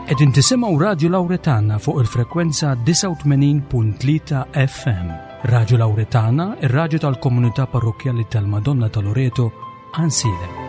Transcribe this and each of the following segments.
Qegħdin tisimgħu Radju Lawretana fuq il-frekwenza 89.3 FM. Radju Lawretana, ir-radju tal-komunità parrokkjali tal-Madonna ta' Loreto, Ansiedem.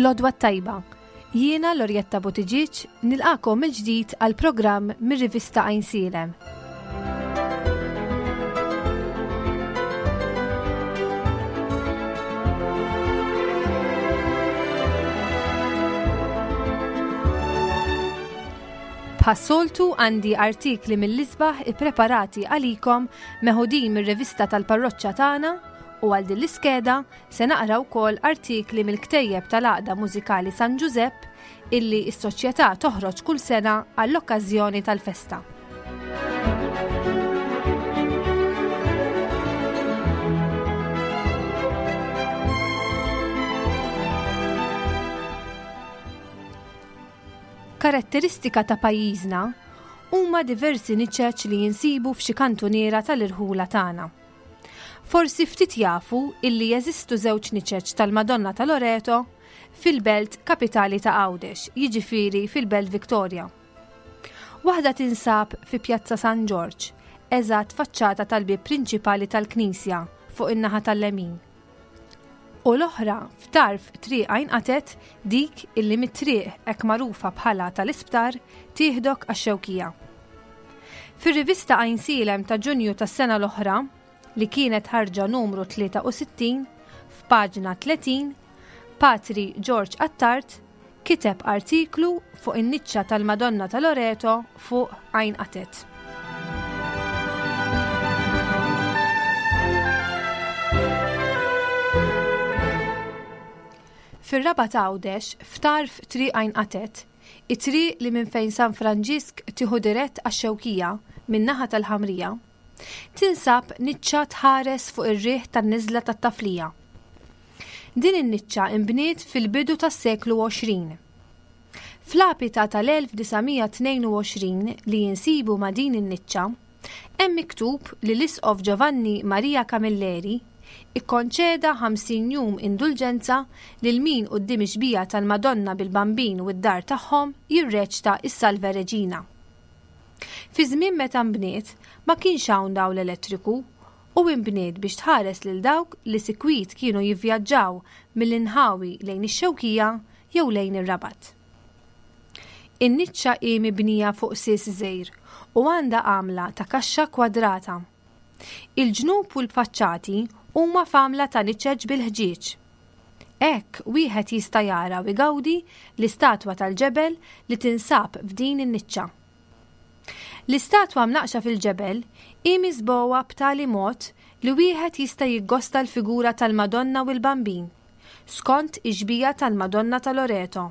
L-Għodwa t-Tajba. Jiena Lorjetta Buttigieg nilqakom mill-ġdid għal programm mir-rivista Għajnsielem. Bħas-soltu għandi artikli mill-isbaħ ippreparati għalikom meħudin mir-rivista tal-parroċċa tagħna u għal din l-iskeda se naqra wkoll artikli mill-ktejjeb tal-Għaqda Mużikali San Ġużepp illi s-soċjetà toħroġ kull sena għall-okkażjoni tal-festa. Karatteristika ta' pajjiżna huma diversi niċeċ li jinsibu f'xi kantuniera tal-irħula tagħna. Forsi ftit jafu illi jeżistu żewġ niċeċ tal-Madonna ta' Loreto fil-belt kapitali ta' Għawdex, jiġifieri fil-Belt Victoria. Waħda tinsab fi Pjazza San Ġorġ, eżatt faċċata tal-bieb prinċipali tal-knisja fuq in-naħa tal-lemin. U l-oħra f'tarf Triq Għajn Qatet, dik illi mit-triq hekk magħrufa bħala tal-Isptar tieħdok għax-Xewkija. Fir-rivista Għajnsielem ta' Ġunju tas-sena l-oħra, li kienet ħarġa numru 63, f'paġna 30, Patri George Attard kiteb artiklu fuq in-niċċa tal-Madonna ta' Loreto fuq Għajn Qatet. Fir-Rabat Għawdex, f'tarf Triq Għajn Qatet, it-triq li minn fejn San Franġisk tieħu dirett għax-Xewkija min-naħa tal-Ħamrija, tinsab niċċa tħares fuq ir-riħ tan-niżla tat-Taflija. Din in-niċċa inbniet fil-bidu tas-seklu 20. F'lapita tal-1922 li insibu ma' din in-niċċa, hemm miktub li l-Isqof Giovanni Maria Camilleri ikkonċeda 50 jum indulġenza lil min quddiem ix-xbieha tal-Madonna bil-Bambin u d-dar tagħhom jirreċta s-Salve Regina. Fi żmien meta nbniet, ma kienx hawn dawl elettriku u inbniet biex tħares lil dawk li sikwit kienu jivvjaġġaw mill-inħawi lejn ix-Xewkija jew lejn ir-Rabat. In-niċċa hi mibnija fuq sies żgħir u għandha għamla ta' kaxxa kwadrata. Il-ġnub u l-faċċati huma f'għamla ta' niċeċ bil-ħġieġ. Hekk wieħed jista' jara u jgawdi l-istatwa tal-ġebel li tinsab f'din in-niċċa. L-istatwa mnaqqxa fil-ġebel hi miżbugħa b'tali mod li wieħed jista' jiggosta l-figura tal-Madonna u l-Bambin, skont ix-xbieha tal-Madonna ta' Loreto.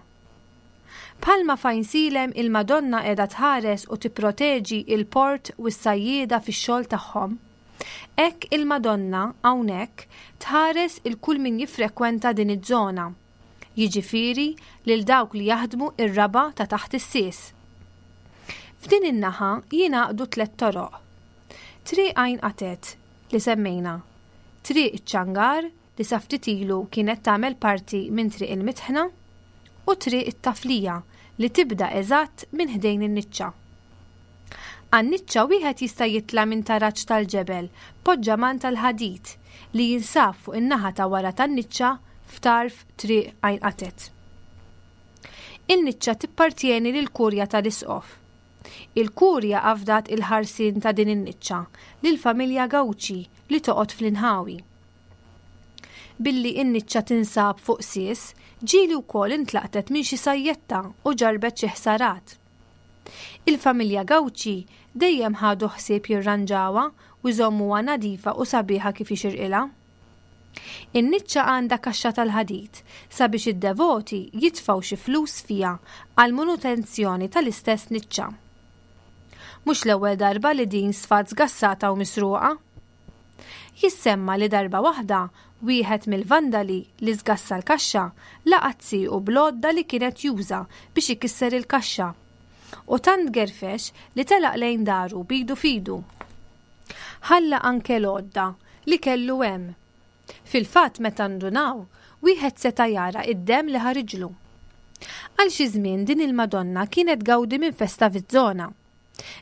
Bħalma f'Għajnsielem il-Madonna qiegħda tħares u tipproteġi l-port u s-sajjieda fix-xogħol tagħhom, hekk il-Madonna hawnhekk tħares 'il kull min jiffrekwenta din iż-żona. jiġifieri lil dawk li jaħdmu r-raba' ta' taħt is-sies. F'din in-naħa jingħaqdu tlett toroq. Triq Għajn Qatet, li semmejna, Triq iċ-Ċangar, li sa ftit ilu kienet tagħmel parti minn Triq il-Mitħna, u Triq it-Taflija li tibda eżatt minn ħdejn in-niċċa. Għan-niċċa wieħed jista' jitla' minn taraġ tal-ġebel b'poġġaman tal-ħadid li jinsab fuq in-naħa ta' wara tan-niċċa f'tarf Triq Għajn Qatet. In-niċċa tippartjeni lill-Kurja tal-Isqof. Il-Kurja afdat il-ħarsien ta' din in-niċċa lill-familja Gauci li toqgħod fl-inħawi. Billi n-niċċa tinsab fuq sies, ġieli wkoll intlaqtet minn xi sajjetta u ġarrbet xi ħsarat. Il-familja Gauci dejjem ħadu ħsieb jirranġawha u jżommuha nadifa u sabiħa kif jixirqilha. In-niċċa għandha kaxxa tal-ħadid sabiex id-devoti jitfgħu xi flus fiha għall-manutenzjoni tal-istess niċċa. Mhux l-ewwel darba li din sfat żgassata u misruqa. Jissemma li darba waħda wieħed mill-vandali li żgassa l-kaxxa laqat siequ bl-għodda li kien qed juża biex ikisser il-kaxxa u tant gerfex li telaq lejn daru b'idu f'idu. Ħalla anke l-għodda li kellu hemm. Fil-fatt meta ndunaw, wieħed seta' jara d-demm li ħariġlu. Għal xi żmien din il-Madonna kienet tgawdi minn festa fiż-żona.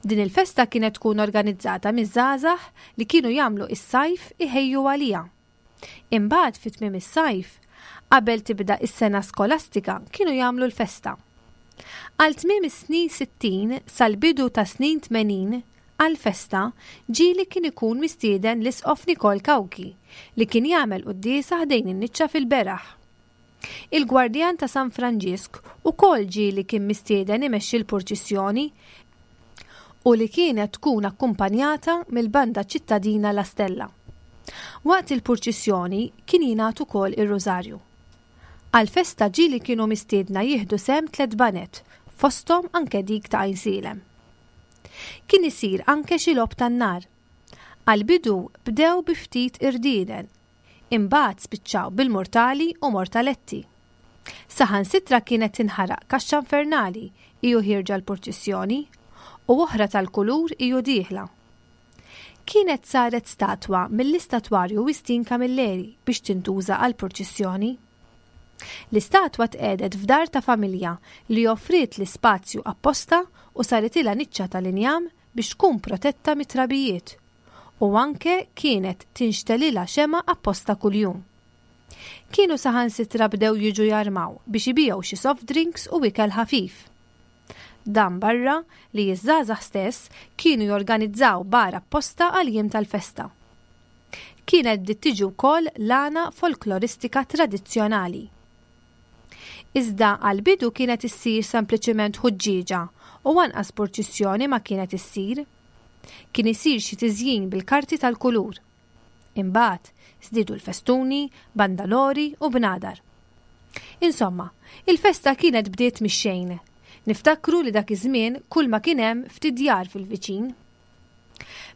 Din il-festa kienet tkun organizzata miż-żgħażagħ li kienu jagħmlu s-sajf iħejju għaliha. Imbagħad fi tmiem is-sajf, qabel tibda s-sena skolastika kienu jagħmlu l-festa. Għal tmiem is-snin 60 sal-bidu tas-snin 80 għall-festa ġieli kien ikun mistieden l-Isqof Nikol Cauchi li kien jagħmel quddiesa ħdejn in-niċċa fil-beraħ. Il-Gwardjan ta' San Franġisk ukoll ġieli kien mistieden imexxi l-purċissjoni u li kienet tkun akkumpanjata mill-banda ċittadina La Stella. Waqt il-purċissjoni kien jingħad ukoll ir-Rużarju. Għall-festa ġieli kienu mistiedna jieħdu sehem tlett baned, fosthom anke dik ta' Għajnsielem. Kien isir anke xi logħob tan-nar. Għall-bidu bdew bi ftit irdieden, imbagħad spiċċaw bil-murtali u mortaletti. Saħansitra kienet tinħaraq kaxxa infernali hi u ħierġa l-purċissjoni u oħra tal-kulur hi u dieħla. Kienet saret statwa mill-istatwarju Wistin Camilleri biex tintuża għall-purċissjoni. L-istatwa tqiegħdet f'dar ta' familja li offriet l-ispazju apposta u saritilha niċċa tal-injam biex tkun protetta mit-trabijiet u anke kienet tinxtegħlilha xemgħa apposta kuljum. Kienu saħansitra bdew jiġu jarmaw biex ibigħu xi soft drinks u ikel ħafif. Dan barra li ż-żgħażagħ stess kienu jorganizzaw bar apposta għall-jiem tal-festa. Kienet bdiet tiġi wkoll l-għana folkloristika tradizzjonali. Iżda għall-bidu kienet issir sempliċiment ħuġġieġa u anqas purċissjoni ma kienet issir. Kien isir xi tiżjin bil-karti tal-kulur. Imbagħad żdiedu l-festuni, bandalori u bnadar. Insomma, il-festa kienet bdiet mix-xejn. Niftakru li dak iż-żmien kulma kien hemm ftit djar fil-viċin.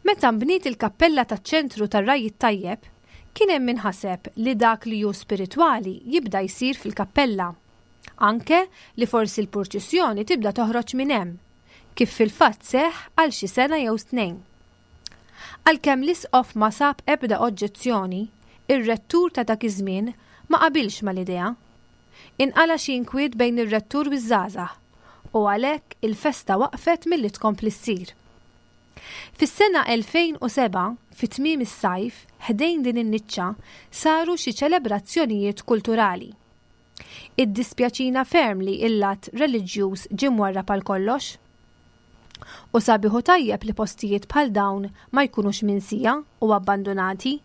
Meta nbniet il-kappella taċ-ċentru tar-Ragħaj it-Tajjeb, kien hemm min ħaseb li dak li hu spiritwali jibda jsir fil-kappella. Anke li forsi l-purċissjoni tibda toħroġ minn hemm, kif fil-fatt seħħ għal xi sena jew tnejn. Għalkemm l-Isqof ma sab ebda oġġezzjoni, ir-rettur ta' dak iż-żmien ma qabilx mal-idea. Inqala' xi inkwiet bejn ir-rettur u ż-żgħażagħ u għalhekk il-festa waqfet milli tkompli ssir. Fis-sena 2007, fi tmiem is-sajf, ħdejn din in-niċċa saru xi ċelebrazzjonijiet kulturali. Iddispjaċina ferm li il-lat reliġjuż ġie mwarrab għal kollox. U sabiħ u tajjeb li postijiet bħal dawn ma jkunux minsija u abbandunati.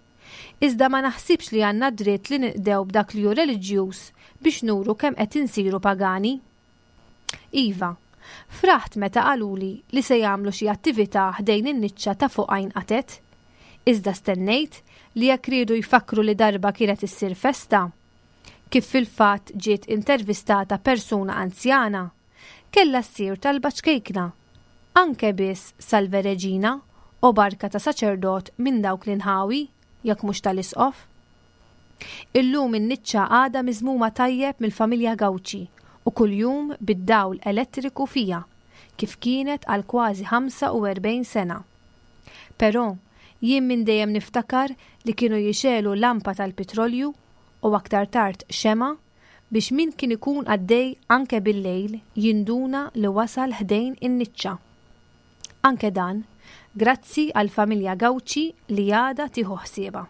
Iżda ma naħsibx li għandna d-dritt li ninqdew b'dak li hu reliġjuż biex nuru kemm qed insiru pagani. Iva, fraħt meta qaluli li se jagħmlu xi attività ħdejn in-niċċa ta' fuq Għajn Qatet. Iżda stennejt li jekk riedu jfakkru li darba kienet issir festa, kif fil-fatt ġiet intervistata persuna anzjana, kellha ssir talba ċkejkna, anke biss Salve Regina u barka ta' saċerdot minn dawk l-inħawi, jekk mhux tal-Isqof. Illum in-niċċa għadha miżmuma tajjeb mill-familja Gauci u kuljum bid-dawl elettriku fiha, kif kienet għal kważi 45 sena. Però, jien minn dejjem niftakar li kienu jixegħlu lampa tal-pitrolju u aktar tard xemgħa biex min kien ikun għaddej anke bil-lejl jinduna li wasal ħdejn in-niċċa. Anke dan, grazzi għall-familja Gauci li għadha tieħu ħsiebha.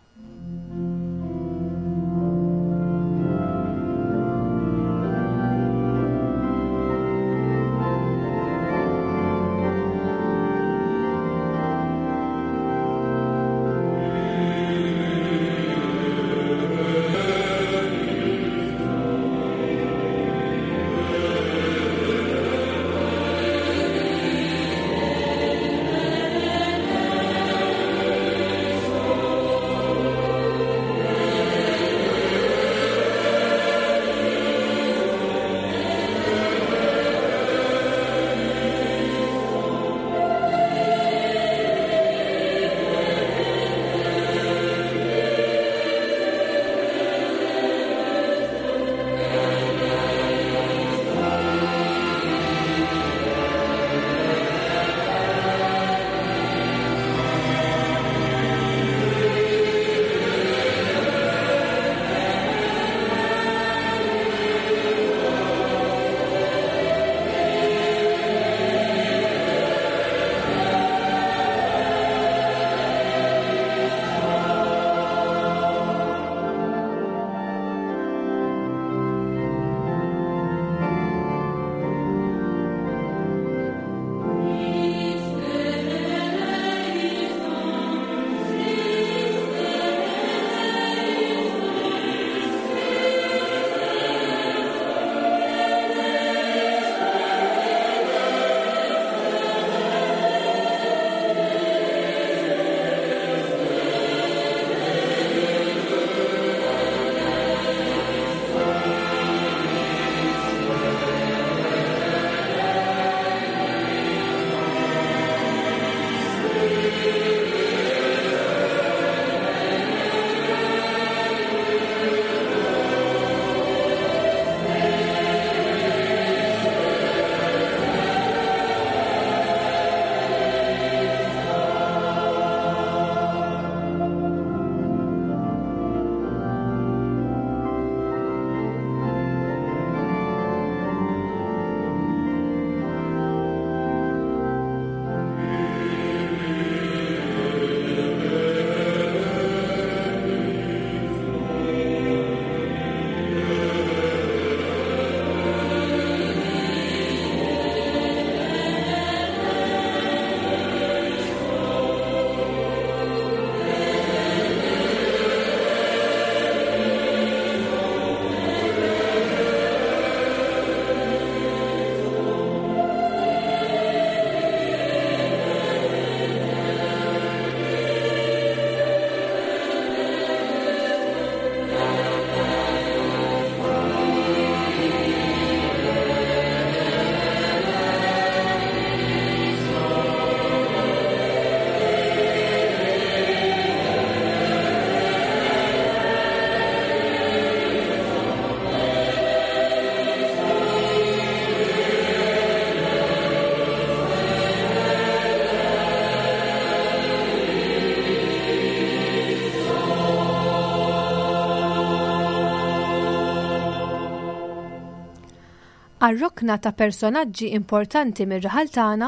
Għar-rokna ta' personaġġi importanti mir-raħal tagħna,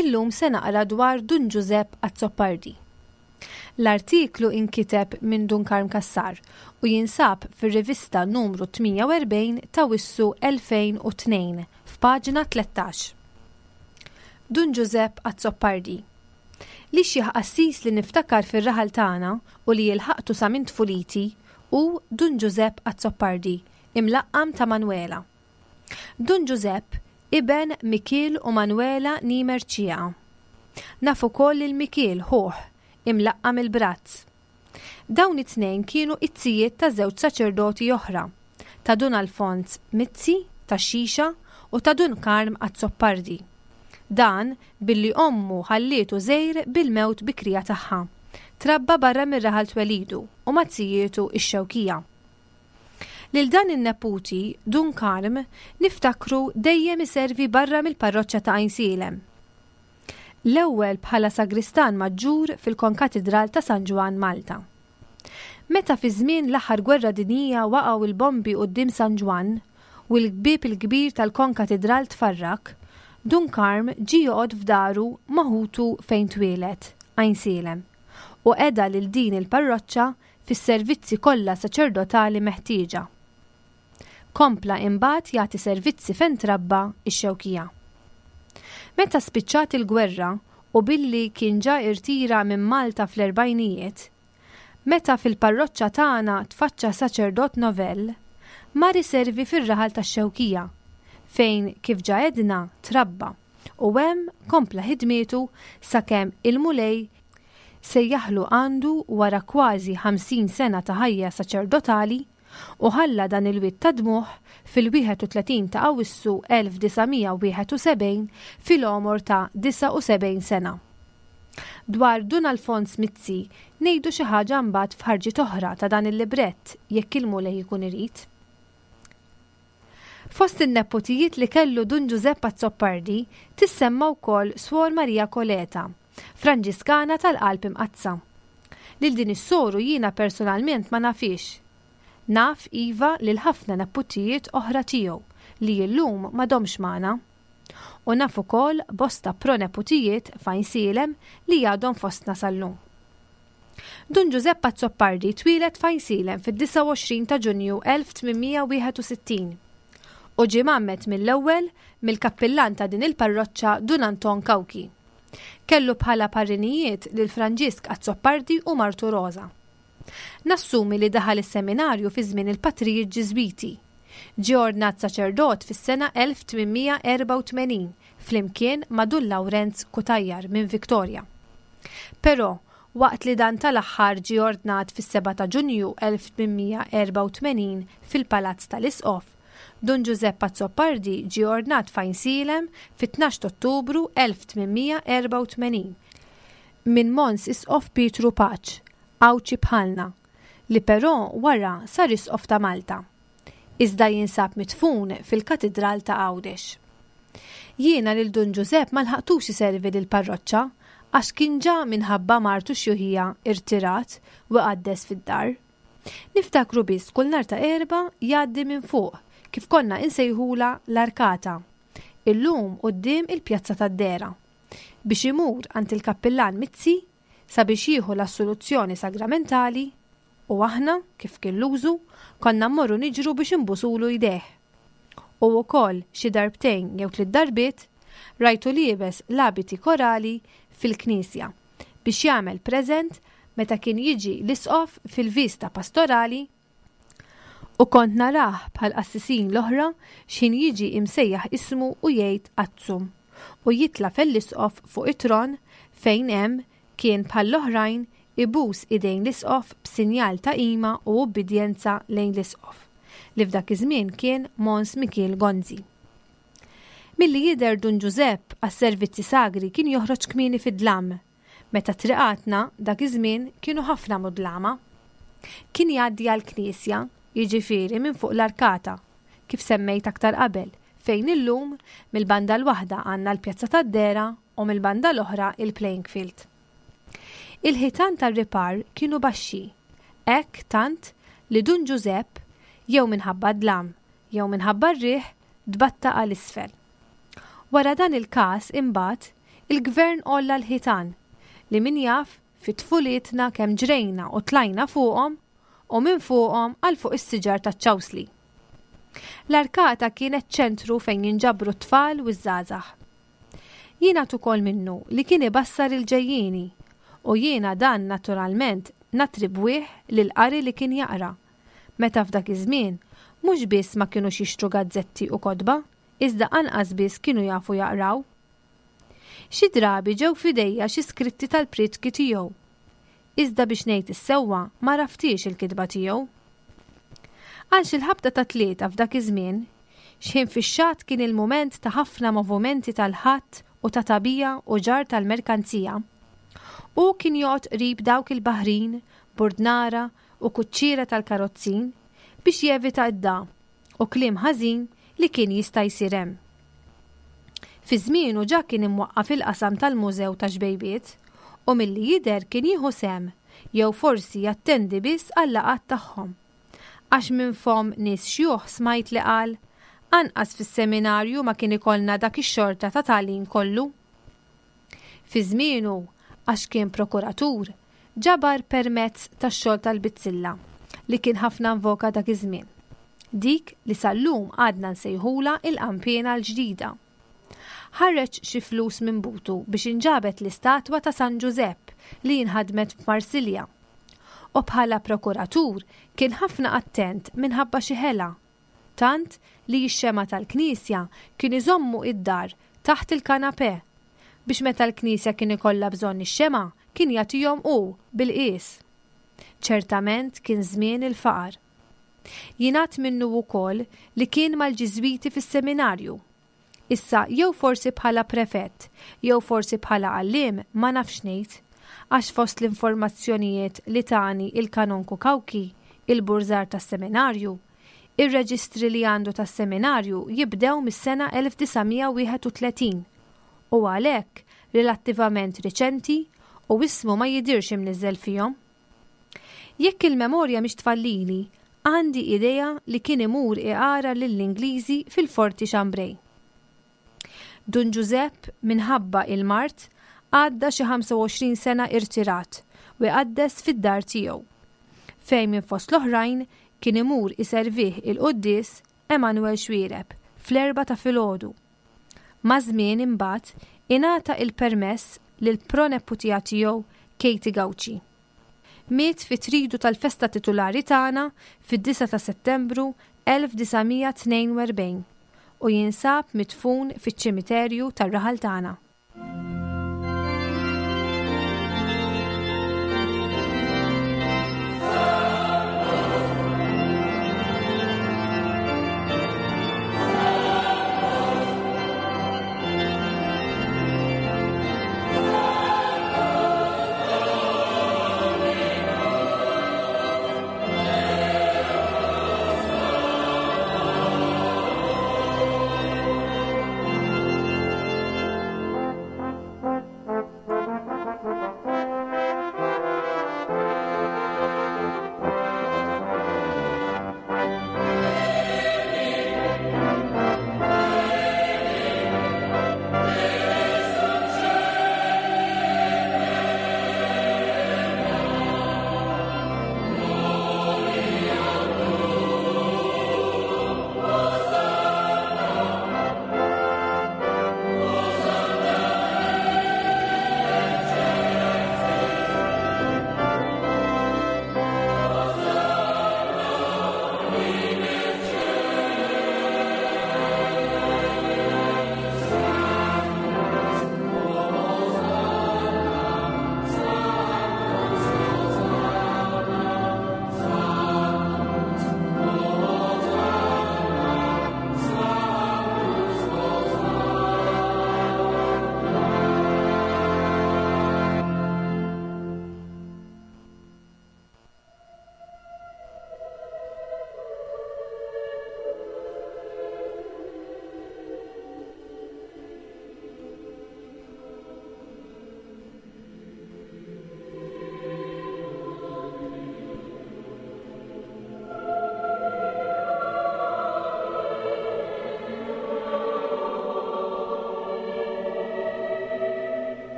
illum se naqra dwar Dun Ġużepp Azzopardi. L-artiklu inkiteb minn Dun Karm Cassar u jinsab fir-rivista numru 48 t'Awwissu 2002 f'paġna 13. Dun Ġużepp Azzopardi. L-ixjeħ qassis li niftakar fir-raħal tagħna u li ilħaqtu sa minn tfuliti hu Dun Ġużepp Azzopardi, imlaqqam ta' Manwela. Dun Ġużepp, iben Mikiel u Manwela ni Mercieca. Naf ukoll lil Mikiel, ħuh, imlaqqam il-Brazz. Dawn it-tnejn kienu it-zijiet ta' żewġ saċerdoti oħra, ta' Dun Alfons Mizzi, tax-Xixa, u ta' Dun Karm Azzopardi. Dan billi ommu ħallietu żgħir bil-mewt bikrija tagħha. Trabba barra mir-raħal twelidu u ma' zijietu x-Xewkija. Lil dan in-neputi, Dun Karm, niftakru dejjem iservi barra mill-parroċċa ta' Għajnsielem. L-ewwel bħala sagristan maġġur fil-Konkatidral ta' San Ġwann Malta. Meta fi żmien l-aħħar gwerra dinjija waqgħu l-bombi quddiem San Ġwann u l-bieb il-kbir tal-Konkatidral tfarrak, Dun Karm ġie joqgħod f'daru ma' ħutu fejn twieled, Għajnsielem, u qeda lil din il-parroċċa fis-servizzi kollha saċerdotali meħtieġa. Kompla imbagħad jagħti servizzi fejn trabba x-Xewkija. Meta spiċċat il-gwerra u billi kien ġa irtira minn Malta fl-erbgħinijiet, meta fil-parroċċa tagħna tfaċċa saċerdot novell, mar iservi fir-raħal tax-Xewkija, fejn kif ġa għedna trabba u hemm kompla ħidmietu sakemm il-Mulej sejjaħlu għandu wara kważi 50 sena ta' ħajja saċerdotali u ħalla dan il-wied ta' dmugħ fil-31 ta' Awwissu 1971 fil-għomor ta' 79 sena. Dwar Dun Alfons Mizzi ngħidu xi ħaġa mbagħad f'ħarġiet oħra ta' dan il-librett jekk il-Mulej ikun irid. Fost in-nepotijiet li kellu Dun Ġużepp Azzopardi tissemma wkoll Suor Maria Coleta, Franġiskana tal-Qalb Imqaddsa. Lil din is-soru jiena personalment ma nafhiex. Naf, iva, lil ħafna nepotijiet oħra tiegħu li illum m'għadhomx magħna. U naf ukoll bosta proneputijiet f'Għajnsielem li għadhom fostna sal-lum. Dun Ġużepp Azzopardi twieled f'Għajnsielem fid-29 ta' Ġunju 1861 u ġie mgħammed mill-ewwel mill-kappillan ta' din il-parroċċa Dun Anton Cauchi. Kellu bħala parrinijiet lil Franġisk Azzopardi u martu Rosa. Nassumi li daħal is-seminarju fi żmien il-patrijiet Ġiżwiti. Ġie ordnat saċerdot fis-sena 1884 flimkien ma' Dun Lawrenz Cutajar minn Victoria. Però, waqt li dan tal-aħħar ġie ordnat fis-7 ta' Ġunju 1884 fil-Palazz tal-Isqof, Dun Ġużepp Azzopardi ġie ordnat f'Għajnsielem fit-tnax t'Ottubru 1884 minn Mons Isqof Pietru Paċ, Għawdxi bħalna, li però wara sar Isqof ta' Malta. Iżda jinsab midfun fil-Katidral ta' Għawdex. Jiena lil Dun Ġużepp ma lħaqtux iservi lill-parroċċa għax kien ġa minħabba mard u xjuħija irtirat u iqaddes fid-dar. Niftakru biss kull nhar ta' Erbgħa jgħaddi minn fuq, kif konna insejħulha l-arkata, illum quddiem il-Pjazza tad-Dehra, biex imur għand il-Kappillan Mizzi sabiex jieħu l-assoluzzjoni sagramentali u aħna, kif kien l-użu, konna mmorru niġru biex inbusulu jdejh. U wkoll xi darbtejn jew tliet darbiet rajtu liebes l-abiti korali fil-knisja biex jagħmel preżent meta kien jiġi l-isqof fil-viżta pastorali u kont narah bħall-qassisin l-oħra x'ħin jiġi imsejjaħ ismu u jgħid Azzum u jitla' fell-isqof fuq it-tron fejn hemm kien bħall-oħrajn ibus idejn l-isqof b'sinjal ta' qima u ubbidjenza lejn l-isqof, li f'dak iż-żmien kien Mons Mikiel Gonzi. Milli jidher Dun Ġużepp għas-servizzi sagri kien joħroġ kmieni fid-dlam, meta triqatna dak iż-żmien kienu ħafna mudlama. Kien jgħaddi għall-knisja, jiġifieri minn fuq l-arkata, kif semmejt aktar qabel, fejn illum mill-banda l-waħda għandna l-Pjazza tad-Dehra u mill-banda l-oħra il-playing field. Il-ħitan tar-ripar kienu baxxi, hekk tant li Dun Ġużepp, jew minħabba d-dlam, jew minħabba r-riħ, tbatta għal isfel. Wara dan il-każ, imbagħad, il-Gvern għolla l-ħitan, li min jaf fi tfulietna kemm ġrejna u tlajna fuqhom u minn fuqhom għal fuq is-siġar taċ-ċawsli. L-arkata kienet ċentru fejn jinġabru t-tfal u ż-żgħażagħ. Jingħad ukoll minnu li kien ibassar il-ġejjieni u jiena dan naturalment nattribwih lill-qari li kien jaqra, meta f'dak iż-żmien mhux biss ma kinux jixtru gazzetti u kotba, iżda anqas biss kienu jafu jaqraw. Xi drabi ġew f'idejja xi skritti tal-prietki tiegħu. Iżda biex ngħid is-sewwa m'għaraftiex il-kitba tiegħu. Għal xi l-ħabta tat-tlieta f'dak iż-żmien, x'ħin fix-xatt kien il-mument ta' ħafna movumenti tal-ħatt u ta' tagħbija u ġarr tal-merkanzija, hu kien joqgħod qrib dawk il-baħrin, burdnara u kuċċiera tal-karozzin biex jevita d-dagħa u kliem ħażin li kien jista' jsir hemm. Fi żmienu ġa kien imwaqqaf il-qasam tal-Mużew tax-Xbejbiet u milli jidher kien jieħu sehem jew forsi jattendi biss għal-laqgħat tagħhom. Għax minn fomm nies xjuħ smajt li qal, Anqas fis-seminarju ma kien ikollna dak ix-xorta ta' tagħlim kollu. Fi żmienu, għax kien prokuratur, ġabar permezz tax-xogħol tal-bizzilla, li kien ħafna invoka dak iż-żmien. Dik li sal-lum għadna nsejħulha il-qanpiena l-ġdida. Ħareġ xi flus minn butu biex inġabet l-istatwa ta' San Ġużepp li inħadmet f'Marsilja. U bħala prokuratur kien ħafna attent minħabba xi ħela, tant li x-xemgħa tal-knisja kien iżommu id-dar taħt il-kanapè, biex meta l-knisja kien ikollha bżonn ix-xemgħa kien jagħtihom hu bil-qies. Ċertament kien żmien il-faqar. Jingħad minnu wkoll li kien mal-Ġiżwiti fis-seminarju. Issa jew forsi bħala prefett jew forsi bħala għalliem ma nafx ngħid, għax fost l-informazzjonijiet li tani il-Kanonku Cauchi, il-burżar tas-seminarju, ir-reġistri li għandu tas-seminarju jibdew mis-sena 1931 u għalhekk relattivament riċenti u ismu ma jidhirx imniżżel fihom. Jekk il-memorja mhix tfallili, għandi idea li kien imur iqara lill-Ingliżi fil-Forti Chambray. Dun Ġużepp, minħabba il-mard, għadda xi 25 sena irtirat u iqaddes fid-dar tiegħu, fejn minn fost l-oħrajn kien imur iservih il-quddies Emanuel Xuereb fl-erbgħa ta' filgħodu. Maż-żmien imbagħad ingħata il-permess lill-proneputija tiegħu Katie Gauci. Miet fit-tridu tal-festa titulari tagħna fid-disgħa ta' Settembru 1942 u jinsab midfun fiċ-ċimiterju tar-raħal tagħna.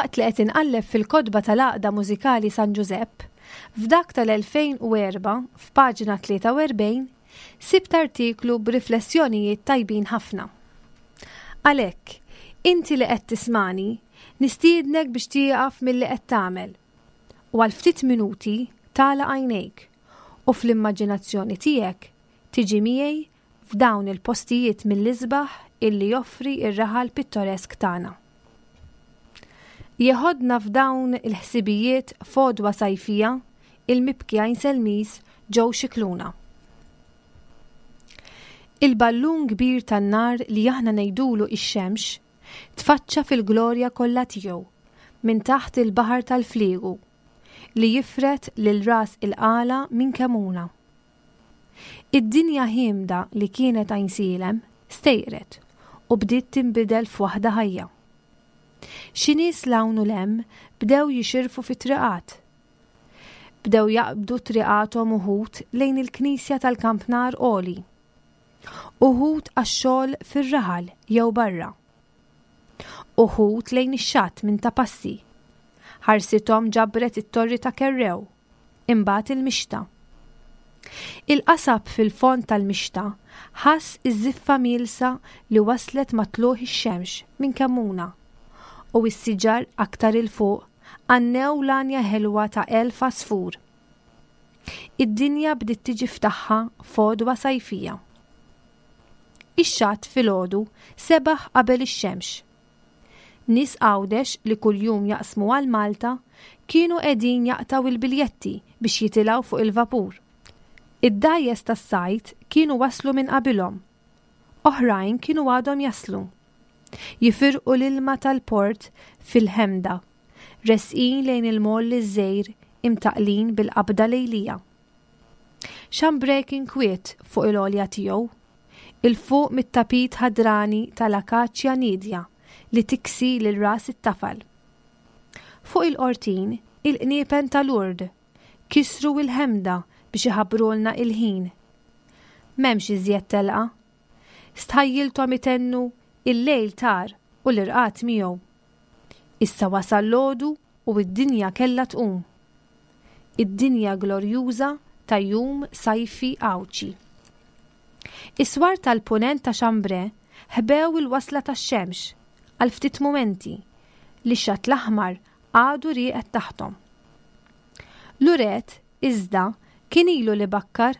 Waqt li qed inqalleb fil-kotba tal-Għaqda Mużikali San Ġużepp, f'dak tal-2004, f'paġna 43, sibt artiklu b'riflessjonijiet tajbin ħafna. Għalhekk, inti li qed tismagħni, nistiednek biex tieqaf milli qed tagħmel u għal ftit minuti tagħlaq għajnejk u fl-immaġinazzjoni tiegħek tiġi miegħi f'dawn il-postijiet mill-isbaħ illi joffri r-raħal pittoresk tagħna. Jeħodna f'dawn il-ħsibijiet f'għodwa sajfija il-mibki Għajnselmiż Joe Scicluna. Il-ballun kbir tan-nar li aħna ngħidulu ix-xemx tfaċċa fil-glorja kollha tiegħu minn taħt il-baħar tal-fliegu li jifred lil Ras il-Qala minn Kemuna. Id-dinja ħiemda li kienet Għajnsielem stejqret u bdiet tinbidel f'waħda ħajja. Xi nies 'l hawn u 'l hemm bdew jixirfu fit-triqat. Bdew jaqbdu triqathom uħud lejn il-knisja tal-kampnar għoli. Uħud għax-xogħol fir-raħal jew barra. Uħud lejn ix-xatt minn Ta' Passi. Ħarsithom ġabret it-torri ta' Kerrew. Imbagħad il-mixta. Il-qasab fil-fond tal-mixta ħass iż-żiffa mielsa li waslet ma' tlugħ ix-xemx minn Kemmuna, u s-siġar aktar 'il fuq għannew l-għanja ħelwa ta' elf għasfur. Id-dinja bdiet tiġi f'tagħha f'għodwa sajfija. Ix-xatt filgħodu sebaħ qabel ix-xemx. Nies Għawdex li kuljum jaqsmu għal Malta kienu qegħdin jaqtgħu l-biljetti biex jitilgħu fuq il-vapur. Id-dgħajjes tas-sajd kienu waslu minn qabilhom. Oħrajn kienu għadhom jaslu. Jifirqu l-ilma tal-port fil-ħemda, resqin lejn il-moll iż-żgħir imtaqqlin bil-qabda lejlija. Chambray kien kwiet fuq il-għolja tiegħu, 'il fuq mit-tapit ħadrani tal-akaċja niedja li tiksi lil ras it-tafal. Fuq il-qortin, il-qniepen ta' Lourdes kisru l-ħemda biex iħabbrulna il-ħin. M'hemmx iżjed telqa. Stħajjilthom itennu il-lejl tar u l-irqad miegħu. Issa wasal l-għodu u d-dinja kellha tqum. Id-dinja glorjuża ta' jum sajfi Għawdxi. Is-swar tal-Punent ta' Chambray ħbew il-wasla tax-xemx għal ftit mumenti li x-xatt l-aħmar għadu rieqed taħthom. Luret, iżda, kien ilu li bakkar.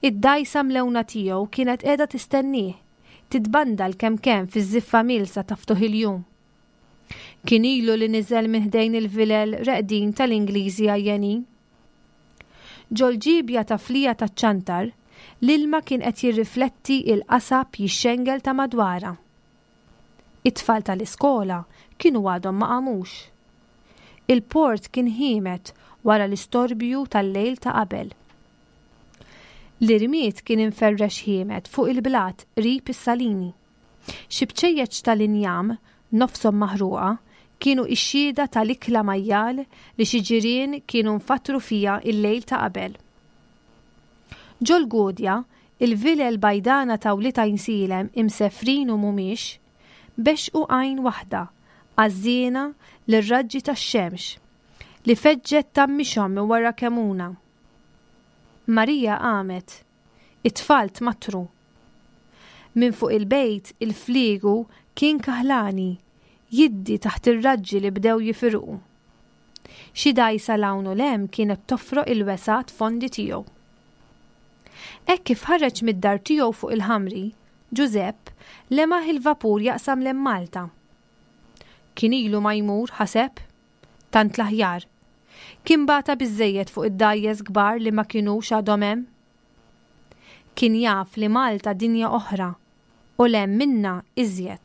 Id-dgħajsa mlewna tiegħu kienet qiegħda tistennieh, titbandal kemm kemm fiż-żiffa mielsa ta' ftuħ il-jum. Kien ilu li niżel minn ħdejn il-vilel reqdin tal-Ingliżi għajjenin. Ġol-ġiebja ta' flija taċ-ċantar, l-ilma kien qed jirrifletti il-qasab jixxengel ta' madwarha. It-tfal tal-iskola kienu għadhom ma qamux. Il-port kien ħiemed wara l-istorbju tal-lejl ta' qabel. L-irmied kien imferrex ħiemed fuq il-blat qrib is-salini. Xi bċejjeċ tal-injam, nofshom maħruqa, kienu x-xhieda tal-ikla majjal li xi ġirien kienu nfatru fiha l-lejl ta' qabel. Ġol-Gudja, il-vilel bajdana ta' wlied Għajnsielem imsefrin u mhumiex, bexxqu għajn waħda, għażżiena lir-raġġi tax-xemx, li feġġet tgħammixhom minn wara Kemuna. Marija qamet. It-tfal tmattru. Minn fuq il-bejt il-fliegu kien kaħlani, jiddi taħt ir-raġġi li bdew jifirqu. Xi dgħajsa 'l hawn u 'l hemm kienet tofroq il-wesgħat fondi tiegħu. Hekk kif ħareġ mid-dar tiegħu fuq il-Ħamri, Ġużepp lemaħ il-vapur jaqsam 'l hemm Malta. Kien ilu ma jmur, ħaseb. Tant l-aħjar. Kien bata biżżejjed fuq id-dgħajjes kbar li ma kinux għadhom hemm. Kien jaf li Malta dinja oħra u 'l hemm minnha iżjed.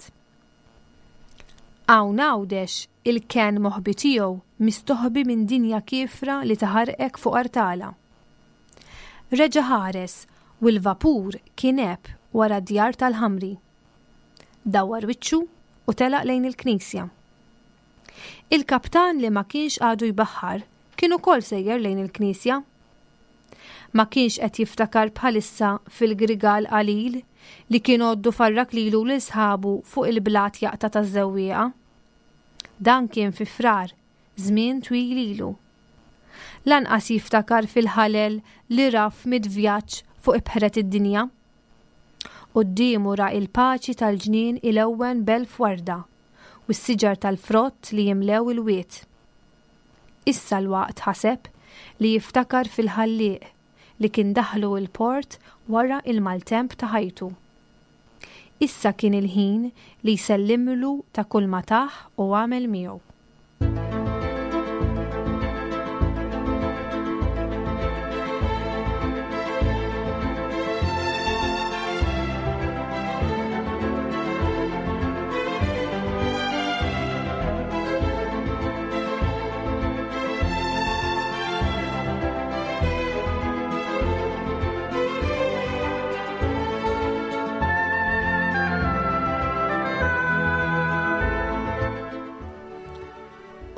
Hawn Għawdex il-kenn moħbi tiegħu mistoħbi minn dinja kiefra li taħarqek fuq artala. Reġa' ħares u l-vapur kien għeb wara d-djar tal-Ħamri. Dawwar wiċċu u telaq lejn il-knisja. Il-kaptan li ma kienx għadu jbaħħar kien ukoll sejjer lejn il-knisja. Ma kienx qed jiftakar bħalissa fil-grigal qalil li kien għoddu farrak lilu u lil sħabu fuq il-blat jaqta' taż-żewwieqa. Dan kien fi Frar, żmien twil ilu. Lanqas jiftakar fil-ħalel li ra f'mitt vjaġġ fuq ibħret id-dinja. Quddiemu ra il-paċi tal-ġnien ilewwen b'elf warda u s-siġar tal-frott li jimlew il-wied. Issa l-waqt, ħaseb, li jiftakar fil-Ħallieq li kien daħħlu l-port wara il-maltemp ta' ħajtu. Issa kien il-ħin li jsellimlu ta' kulma tah u għamel miegħu.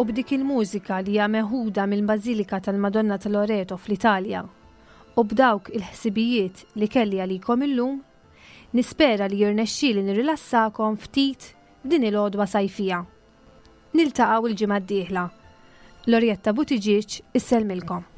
U b'dik il-mużika li hija meħuda mill-Bażilika tal-Madonna ta' Loreto fl-Italja u b'dawk il-ħsibijiet li kelli għalikom illum, nispera li jirnexxieli nirrilassakom ftit f'din il-għodwa sajfija. Niltaqgħu l-ġimgħa d-dieħla. Lorietta Buttigieg issellmilkom.